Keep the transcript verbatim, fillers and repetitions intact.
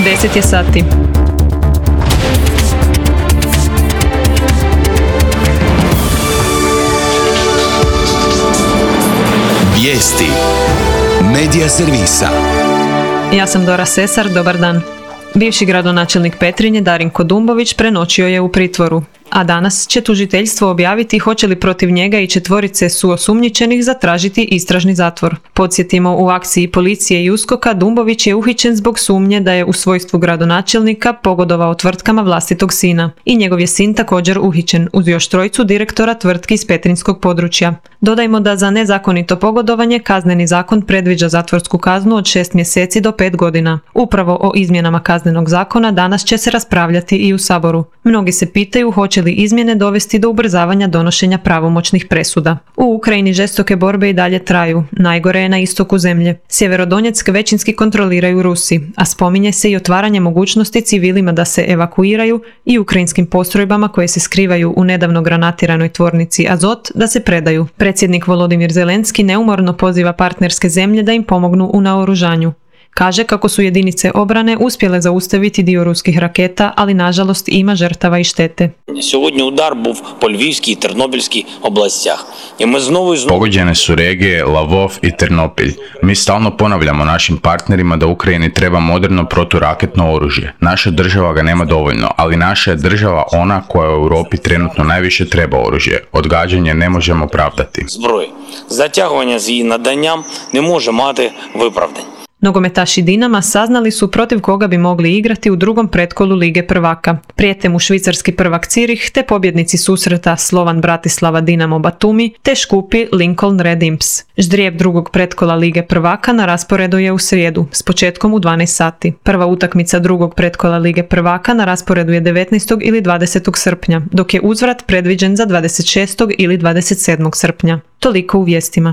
deset je sati. Vijesti Medija servisa. Ja sam Dora Sesar, dobar dan. Bivši gradonačelnik Petrinje Darinko Dumbović prenoćio je u pritvoru, a danas će tužiteljstvo objaviti hoće li protiv njega i četvorice suosumnjičenih zatražiti istražni zatvor. Podsjetimo, u akciji policije i uskoka Dumbović je uhićen zbog sumnje da je u svojstvu gradonačelnika pogodovao tvrtkama vlastitog sina. I njegov je sin također uhićen, uz još trojicu direktora tvrtki iz petrinjskog područja. Dodajmo da za nezakonito pogodovanje kazneni zakon predviđa zatvorsku kaznu od šest mjeseci do pet godina. Upravo o izmjenama kaznenog zakona danas će se raspravljati i u Saboru. Mnogi se pitaju hoće li izmjene dovesti do ubrzavanja donošenja pravomoćnih presuda. U Ukrajini žestoke borbe i dalje traju. Najgore je na istoku zemlje. Sjeverodonjeck većinski kontroliraju Rusi, a spominje se i otvaranje mogućnosti civilima da se evakuiraju i ukrajinskim postrojbama koje se skrivaju u nedavno granatiranoj tvornici Azot da se predaju. Predsjednik Volodimir Zelenski neumorno poziva partnerske zemlje da im pomognu u naoružanju. Kaže kako su jedinice obrane uspjele zaustaviti dio ruskih raketa, ali nažalost ima žrtava i štete. Сьогодні удар був по Львівській і Тернопільській областях. І ми знову і знову Pogođene su regije Lavov i Ternopilj. Mi stalno ponavljamo našim partnerima da Ukrajini treba moderno proturaketno oružje. Naša država ga nema dovoljno, ali naša je država ona koja u Europi trenutno najviše treba oružje. Odgađanje ne možemo pravdati. зброї. Затягування з її наданням не може мати виправдань. Nogometaši Dinama saznali su protiv koga bi mogli igrati u drugom pretkolu Lige prvaka. Prijete mu švicarski prvak Zürich te pobjednici susreta Slovan Bratislava Dinamo Batumi te Škupi Lincoln Red Imps. Ždrijeb drugog pretkola Lige prvaka na rasporedu je u srijedu, s početkom u dvanaest sati. Prva utakmica drugog pretkola Lige prvaka na rasporedu je devetnaestog ili dvadesetog srpnja, dok je uzvrat predviđen za dvadeset šestog ili dvadeset sedmog srpnja. Toliko u vijestima.